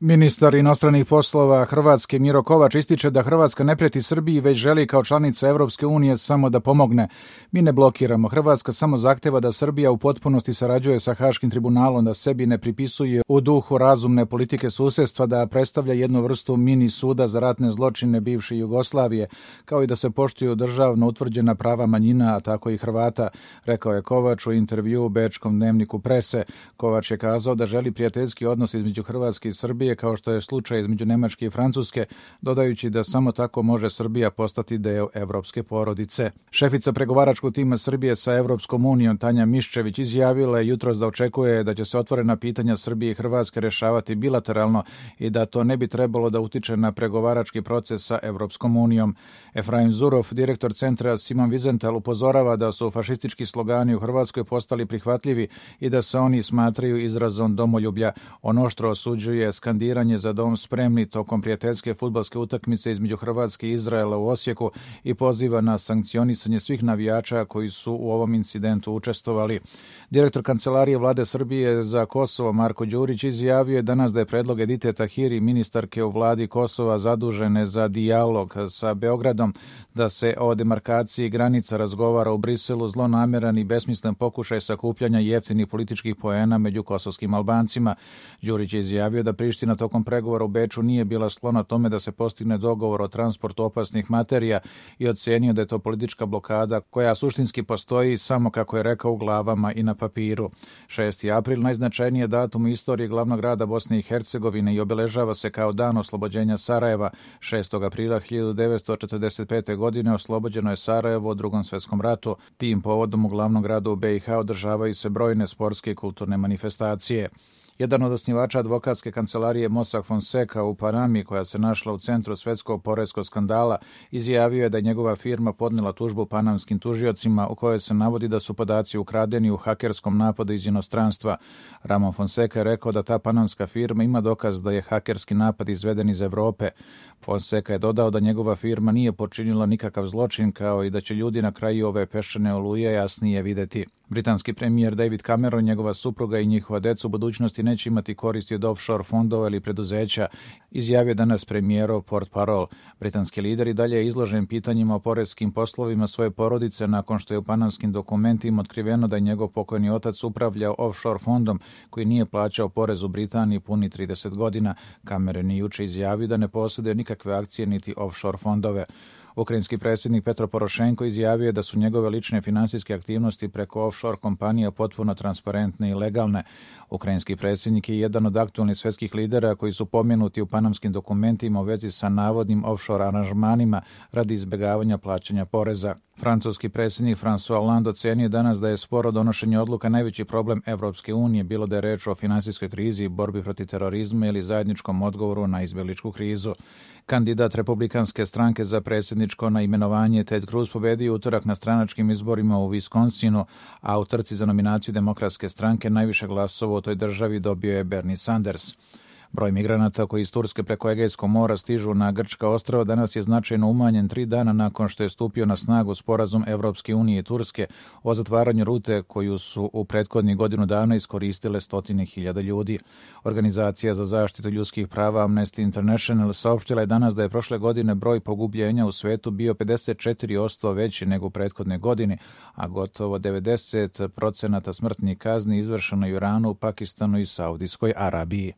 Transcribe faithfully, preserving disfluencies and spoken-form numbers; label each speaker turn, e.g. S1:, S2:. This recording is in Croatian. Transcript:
S1: Ministar inostranih poslova Hrvatske Miro Kovač ističe da Hrvatska ne prijeti Srbiji, već želi kao članica Evropske unije samo da pomogne. Mi ne blokiramo. Hrvatska samo zahteva da Srbija u potpunosti sarađuje sa Haškim tribunalom, da sebi ne pripisuje u duhu razumne politike susjedstva, da predstavlja jednu vrstu mini suda za ratne zločine bivše Jugoslavije, kao i da se poštuju državno utvrđena prava manjina, a tako i Hrvata, rekao je Kovač u intervjuu u bečkom dnevniku Prese. Kovač je kazao da želi prijateljski odnos između Hrvatske i Srbije, kao što je slučaj između Nemačke i Francuske, dodajući da samo tako može Srbija postati deo evropske porodice. Šefica pregovaračkog tima Srbije sa Evropskom unijom Tanja Miščević izjavila je jutros da očekuje da će se otvorena pitanja Srbije i Hrvatske rešavati bilateralno i da to ne bi trebalo da utiče na pregovarački proces sa Evropskom unijom. Efraim Zurov, direktor centra Simon Wiesenthal, upozorava da su fašistički slogani u Hrvatskoj postali prihvatljivi i da se oni smatraju izrazom domoljublja. On oštro osuđuje skandiranje za dom spremni tokom prijateljske fudbalske utakmice između Hrvatske i Izraela u Osijeku i poziva na sankcionisanje svih navijača koji su u ovom incidentu učestvovali. Direktor Kancelarije Vlade Srbije za Kosovo Marko Đurić izjavio je danas da je predlog Edite Tahiri, ministarke u vladi Kosova zadužene za dijalog sa Beogradom, da se o demarkaciji granica razgovara u Briselu, zlonameran i besmislen pokušaj sakupljanja jeftinih političkih poena među kosovskim Albancima. Đurić je izjavio da Priština tokom pregovora u Beču nije bila sklona tome da se postigne dogovor o transportu opasnih materija i ocenio da je to politička blokada koja suštinski postoji samo, kako je rekao, u glavama i na papiru. šesti april, najznačajniji datum u istoriji glavnog grada Bosne i Hercegovine i obeležava se kao dan oslobođenja Sarajeva. šestog aprila hiljadu devetsto četrdeset pete. godine oslobođeno je Sarajevo u Drugom svjetskom ratu. Tim povodom u glavnom gradu u be i ha održavaju se brojne sportske i kulturne manifestacije. Jedan od osnivača advokatske kancelarije Mossack Fonseca u Panami, koja se našla u centru svetskog poreskog skandala, izjavio je da je njegova firma podnela tužbu panamskim tužiocima u kojoj se navodi da su podaci ukradeni u hakerskom napadu iz inostranstva. Ramon Fonseca je rekao da ta panamska firma ima dokaz da je hakerski napad izveden iz Evrope. Fonseca je dodao da njegova firma nije počinila nikakav zločin, kao i da će ljudi na kraju ove peščane oluje jasnije videti. Britanski premijer David Cameron, njegova supruga i njihova deca u budućnosti neće imati koristi od offshore fondova ili preduzeća, izjavio danas premijerov portparol. Britanski lider i dalje je izložen pitanjima o poreskim poslovima svoje porodice nakon što je u panamskim dokumentima otkriveno da je njegov pokojni otac upravljao offshore fondom koji nije plaćao porez u Britaniji puni trideset godina. Cameron je juče izjavio da ne posjeduje nikakve akcije niti offshore fondove. Ukrajinski predsjednik Petro Porošenko izjavio je da su njegove lične finansijske aktivnosti preko offshore kompanija potpuno transparentne i legalne. Ukrajinski predsjednik je jedan od aktualnih svjetskih lidera koji su pomenuti u panamskim dokumentima u vezi sa navodnim offshore aranžmanima radi izbjegavanja plaćanja poreza. Francuski predsjednik François Hollande ocenio danas da je sporo donošenje odluka najveći problem Evropske unije, bilo da je reč o finansijskoj krizi, borbi protiv terorizma ili zajedničkom odgovoru na izbjegličku krizu. Kandidat republikanske stranke za predsjedničko na imenovanje Ted Cruz pobedio utorak na stranačkim izborima u Wisconsinu, a u trci za nominaciju demokratske stranke najviše glasova u toj državi dobio je Bernie Sanders. Broj migranata koji iz Turske preko Egejskog mora stižu na grčka ostrva danas je značajno umanjen tri dana nakon što je stupio na snagu sporazum Evropske unije i Turske o zatvaranju rute koju su u prethodnih godinu dana iskoristile stotine hiljada ljudi. Organizacija za zaštitu ljudskih prava Amnesty International saopštila je danas da je prošle godine broj pogubljenja u svetu bio pedeset četiri posto veći nego u prethodne godine, a gotovo devedeset procenata smrtnih kazni izvršeno je u Iranu, Pakistanu i Saudijskoj Arabiji.